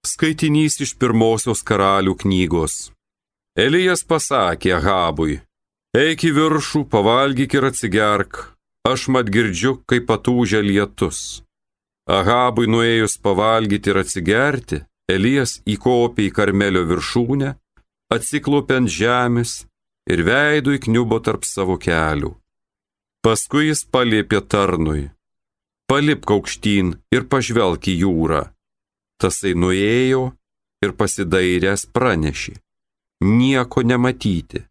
Skaitinys iš pirmosios karalių knygos. Elijas pasakė Ahabui: eik į viršų, pavalgyk ir atsigerk, aš mat girdžiu, kaip patūžia lietus. Ahabui nuėjus pavalgyti ir atsigerti, Elijas įkopė į Karmelio viršūnę, atsiklaupė ant žemės ir veidu įkniubo tarp savo kelių. Paskui jis paliepė tarnui: palipk aukštyn ir pažvelk į jūrą. Tasai nuėjo ir pasidairęs pranešė: nieko nematyti.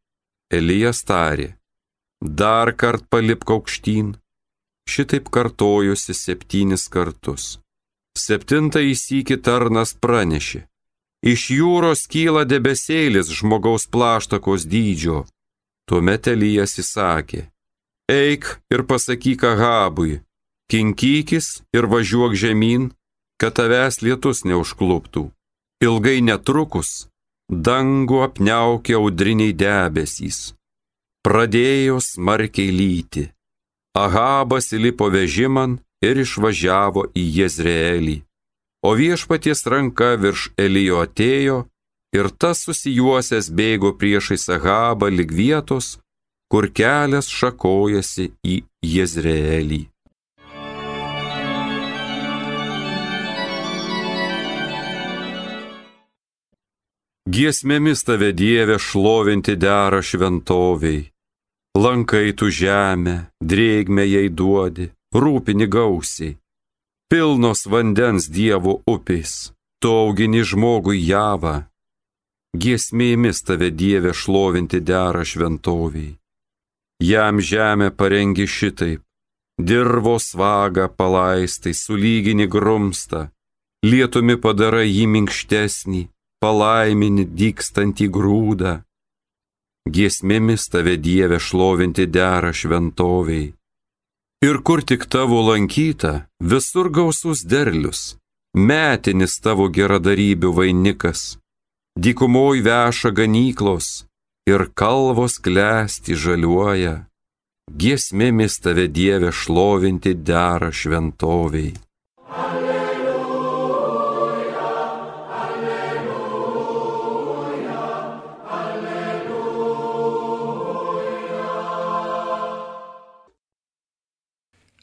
Elijas tarė: dar kart palipk aukštyn. Šitaip kartojosi 7 kartus. 7 sykį tarnas pranešė: iš jūros kyla debesėlis žmogaus plaštakos dydžio. Tuomet Elijas įsakė: eik ir pasakyk Ahabui, kinkykis ir važiuok žemyn, kad tavęs lietus neužkluptų. Ilgai netrukus dangų apniaukė audriniai debesys. Pradėjo smarkiai lyti. Ahabas įlipo vežiman ir išvažiavo į Jezreelį. O viešpaties ranka virš Elijo atėjo ir tas susijuosęs bėgo priešais Ahabą lig vietos, kur kelias šakojasi į Jezreelį. Giesmėmis tave, Dieve, šlovinti dera šventoviai. Lankai tu žemę, drėgmę jai duodi, rūpini gausiai. Pilnos vandens Dievo upės, tu augini žmogui javą. Giesmėmis tave, Dieve, šlovinti dera šventoviai. Jam žemę parengi šitaip, dirvos vagą palaistai, sulygini grumstą, lietumi padarai jį minkštesnį, palaimini dykstantį grūdą. Giesmėmis tave, Dieve, šlovinti dera šventoviai. Ir kur tik tavo lankyta, visur gausus derlius, metinis tavo geradarybių vainikas. Dykumoj veša ganyklos ir kalvos klesti žaliuoja. Giesmėmis tave, Dieve, šlovinti dera šventoviai.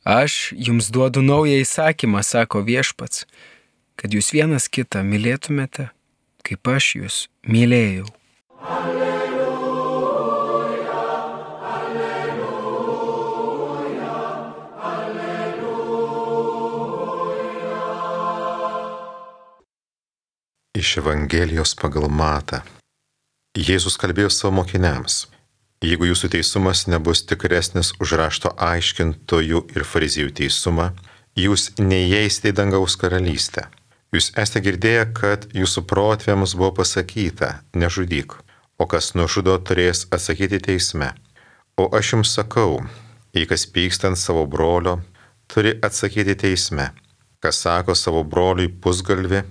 Aš jums duodu naują įsakymą, sako viešpats, kad jūs vienas kitą mylėtumėte, kaip aš jūs mylėjau. Alleluja, alleluja, alleluja. Iš Evangelijos pagal Matą. Jėzus kalbėjo savo mokiniams: jeigu jūsų teisumas nebus tikresnis už rašto aiškintojų ir fariziejų teisumą, jūs neįeisite į dangaus karalystę. Jūs esate girdėję, kad jūsų protėviams buvo pasakyta: nežudyk, o kas nužudo, turės atsakyti teisme. O aš jums sakau, jei kas pyksta ant savo brolio, turi atsakyti teisme. Kas sako savo broliui pusgalvi,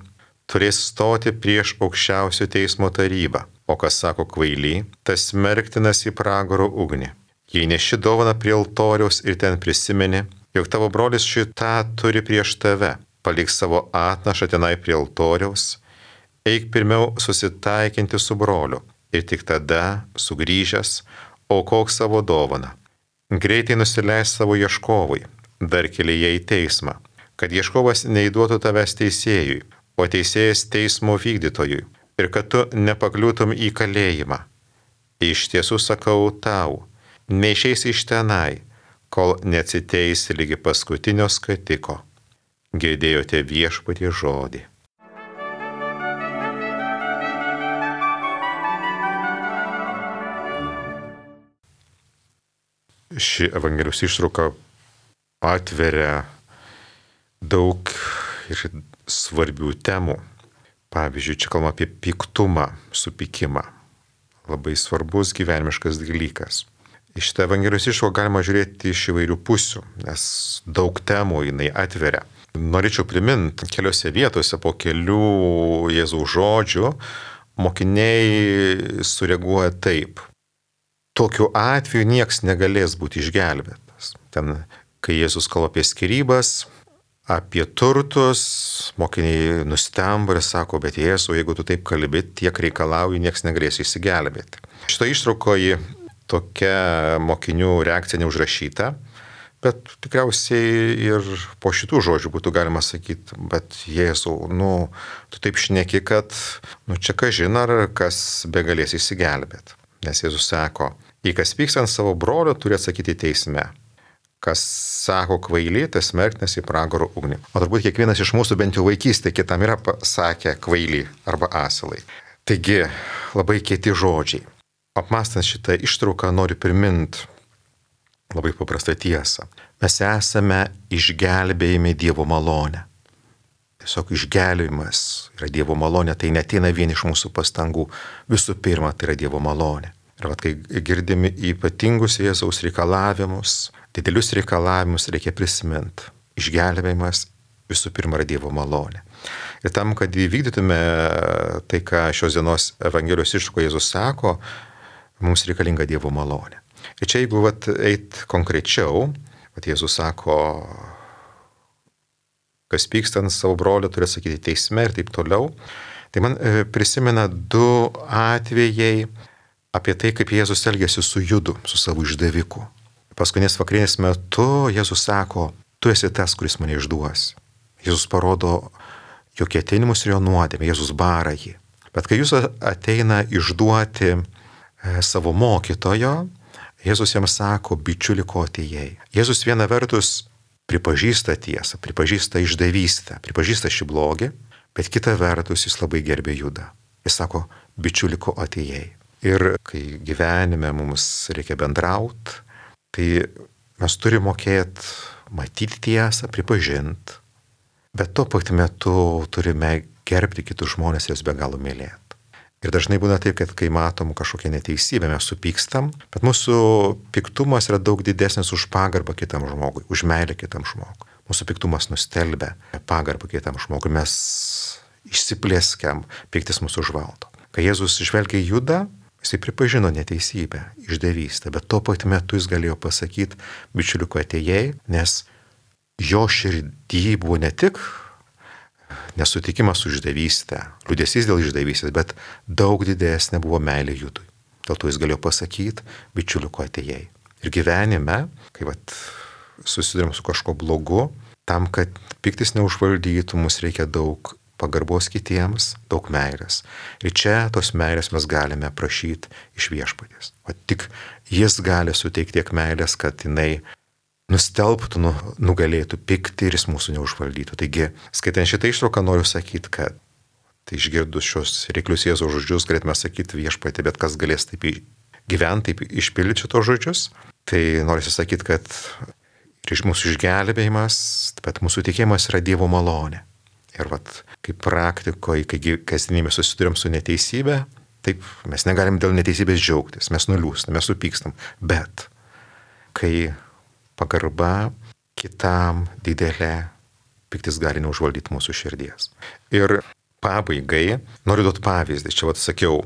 turės stoti prieš aukščiausio teismo tarybą. O kas sako kvaily, tas smerktinas į pragaro ugnį. Jei neši dovaną prie altoriaus ir ten prisimeni, jog tavo brolis šitą turi prieš tave, palik savo atnašą tenai prie altoriaus, eik pirmiau susitaikinti su broliu ir tik tada, sugrįžęs, aukok savo dovaną. Greitai nusileis savo ieškovui, dar kelyje į teismą, kad ieškovas neįduotų tavęs teisėjui, o teisėjas teismo vykdytojui, ir kad tu nepakliūtum į kalėjimą. Iš tiesų sakau tau, neišeisi iš tenai, kol neatsiteisi lygi paskutinio skatiko. Girdėjote viešpaties žodį. Ši Evangelijos ištrauka atveria daug ir svarbių temų. Pavyzdžiui, čia kalbama apie piktumą, supykimą. Labai svarbus gyvenimiškas dalykas. Iš šitą Evangelijos ištrauką galima žiūrėti iš įvairių pusių, nes daug temų jinai atveria. Norėčiau priminti, keliose vietose po kelių Jėzaus žodžių mokiniai sureaguoja taip: tokiu atveju nieks negalės būti išgelbėtas. Ten, kai Jėzus kalba apie skyrybas, apie turtus, mokiniai nustemba ir sako, bet Jėzau, jeigu tu taip kalbi, tiek reikalauji, nieks negalės išsigelbėti. Šitą ištraukoje tokia mokinių reakcija neužrašyta, bet tikriausiai ir po šitų žodžių būtų galima sakyti, bet Jėzau, tu taip šneki, kad, čia kažin ar kas begalės išsigelbėti. Nes Jėzus sako, jei kas pyks ant savo brolio, turi atsakyti teisme. Kas sako kvaily, tas smerktinas į pragaro ugnį. O turbūt kiekvienas iš mūsų bent jau vaikystėje kitam yra pasakę kvaily arba asilai. Taigi, labai kieti žodžiai. Apmąstant šitą ištrauką noriu priminti labai paprastą tiesą. Mes esame išgelbėjami Dievo malonę. Tiesiog išgelbėjimas yra Dievo malonė, tai neteina vien iš mūsų pastangų. Visų pirma, tai yra Dievo malonė. Ir kai girdimi ypatingus Jėzaus reikalavimus, didelius reikalavimus reikia prisiminti. Išgelbėjimas visų pirma yra Dievo malonė. Ir tam, kad įvykdytume tai, ką šios dienos Evangelijos ištraukoje Jėzus sako, mums reikalinga Dievo malonė. Ir čia jeigu eit konkrečiau, Jėzus sako, kas pyksta ant savo brolio, turi sakyti teisme ir taip toliau. Tai man prisimena du atvejai apie tai, kaip Jėzus elgėsi su Judu, su savo išdaviku. Paskutinės vakarienės metu Jėzus sako, tu esi tas, kuris mane išduos. Jėzus parodo jo ketinimus ir jo nuodėmę, Jėzus bara jį. Bet kai Jėzus ateina išduoti savo mokytojo, Jėzus jam sako, bičiuli, ko atėjai. Jėzus viena vertus pripažįsta tiesą, pripažįsta išdavystę, pripažįsta šį blogį, bet kita vertus jis labai gerbė Judą. Jis sako, bičiuli, ko atėjai. Ir kai gyvenime mums reikia bendrauti, tai mes turime mokėti matyti tiesą, pripažinti, bet tuo pat metu turime gerbti kitus žmonės ir juos be galo mylėti. Ir dažnai būna taip, kad kai matom kažkokią neteisybę, mes supykstam, bet mūsų piktumas yra daug didesnis už pagarbą kitam žmogui, už meilę kitam žmogui. Mūsų piktumas nustelbia pagarbą kitam žmogui, mes išsiplėskiam, piktis mūsų užvaldo. Kai Jėzus žvelgia į Judą, jisai pripažino neteisybę, išdavystę, bet tuo pat metu jis galėjo pasakyti, bičiuliuko atėjai, nes jo širdį buvo ne tik nesutikimas su išdavystė, liūdesys dėl išdavystės, bet daug didesnė buvo meilė Judui. Dėl to jis galėjo pasakyti, bičiuliuko atėjai. Ir gyvenime, kai susidurėm su kažko blogu, tam, kad piktis neužvaldytų, mums reikia daug pagarbos kitiems, daug meilės. Ir čia tos meilės mes galime prašyti iš Viešpaties. O tik jis gali suteikti tiek meilės, kad jinai nustelbtų, nugalėtų pyktį ir jis mūsų neužvaldytų. Taigi, skaitant šitą ištrauką, noriu sakyti, kad tai išgirdus šios reiklius Jėzaus žodžius, galėtume sakyti Viešpatie, bet kas galės taip gyventi, taip išpildyti šitos žodžius. Tai noriu sakyti, kad ir mūsų išgelbėjimas, bet mūsų tikėjimas yra Dievo malonė. Ir kaip praktikoje, kai kasdienybėje susidurėm su neteisybė, taip mes negalim dėl neteisybės džiaugtis, mes nuliūstam, mes supykstam, bet kai pagarba kitam didelė, piktis gali neužvaldyti mūsų širdies. Ir pabaigai noriu duoti pavyzdį. Čia sakiau,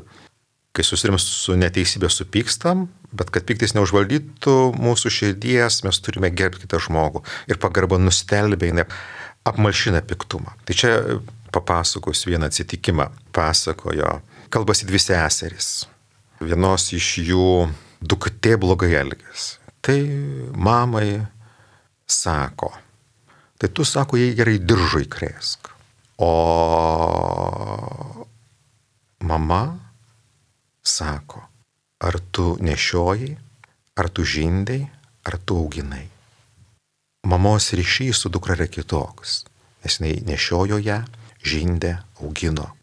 kai susidurėm su neteisybė supykstam, bet kad piktis neužvaldytų mūsų širdies, mes turime gerbti kitą žmogų. Ir pagarba nustelbia, jinai apmalšina piktumą. Tai čia papasakos vieną atsitikimą. Pasakojo, kalbasi dvi seserys. Vienos iš jų duktė blogai elgėsi. Tai mamai sako, tai tu, sako, jai gerai diržui krėsk. O mama sako, ar tu nešiojai, ar tu žindai, ar tu auginai. Mamos ryšys su dukra yra kitoks, nes jinai nešiojo ją, žindė, augino.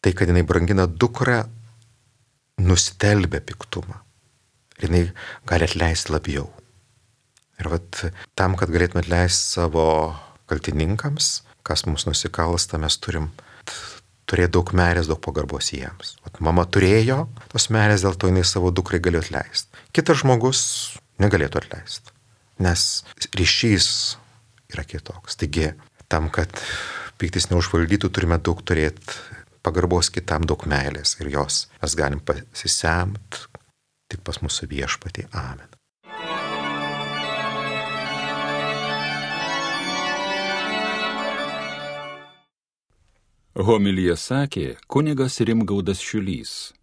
Tai, kad jinai brangina dukrą, nustelbia piktumą. Ir jinai gali atleisti labiau. Ir tam, kad galėtume atleisti savo kaltininkams, kas mums nusikalsta, mes turim turėti daug meilės, daug pagarbos jiems. Mama turėjo tos meilės, dėl to jinai savo dukrai galėjo atleisti. Kitas žmogus negalėtų atleisti, nes ryšys yra kitoks. Taigi, tam, kad piktis neužvaldytų, turime daug turėti pagarbos kitam, daug meilės ir jos mes galim pasisemti tik pas mūsų Viešpatį. Amen. Homiliją sakė kunigas Rimgaudas Šiulys.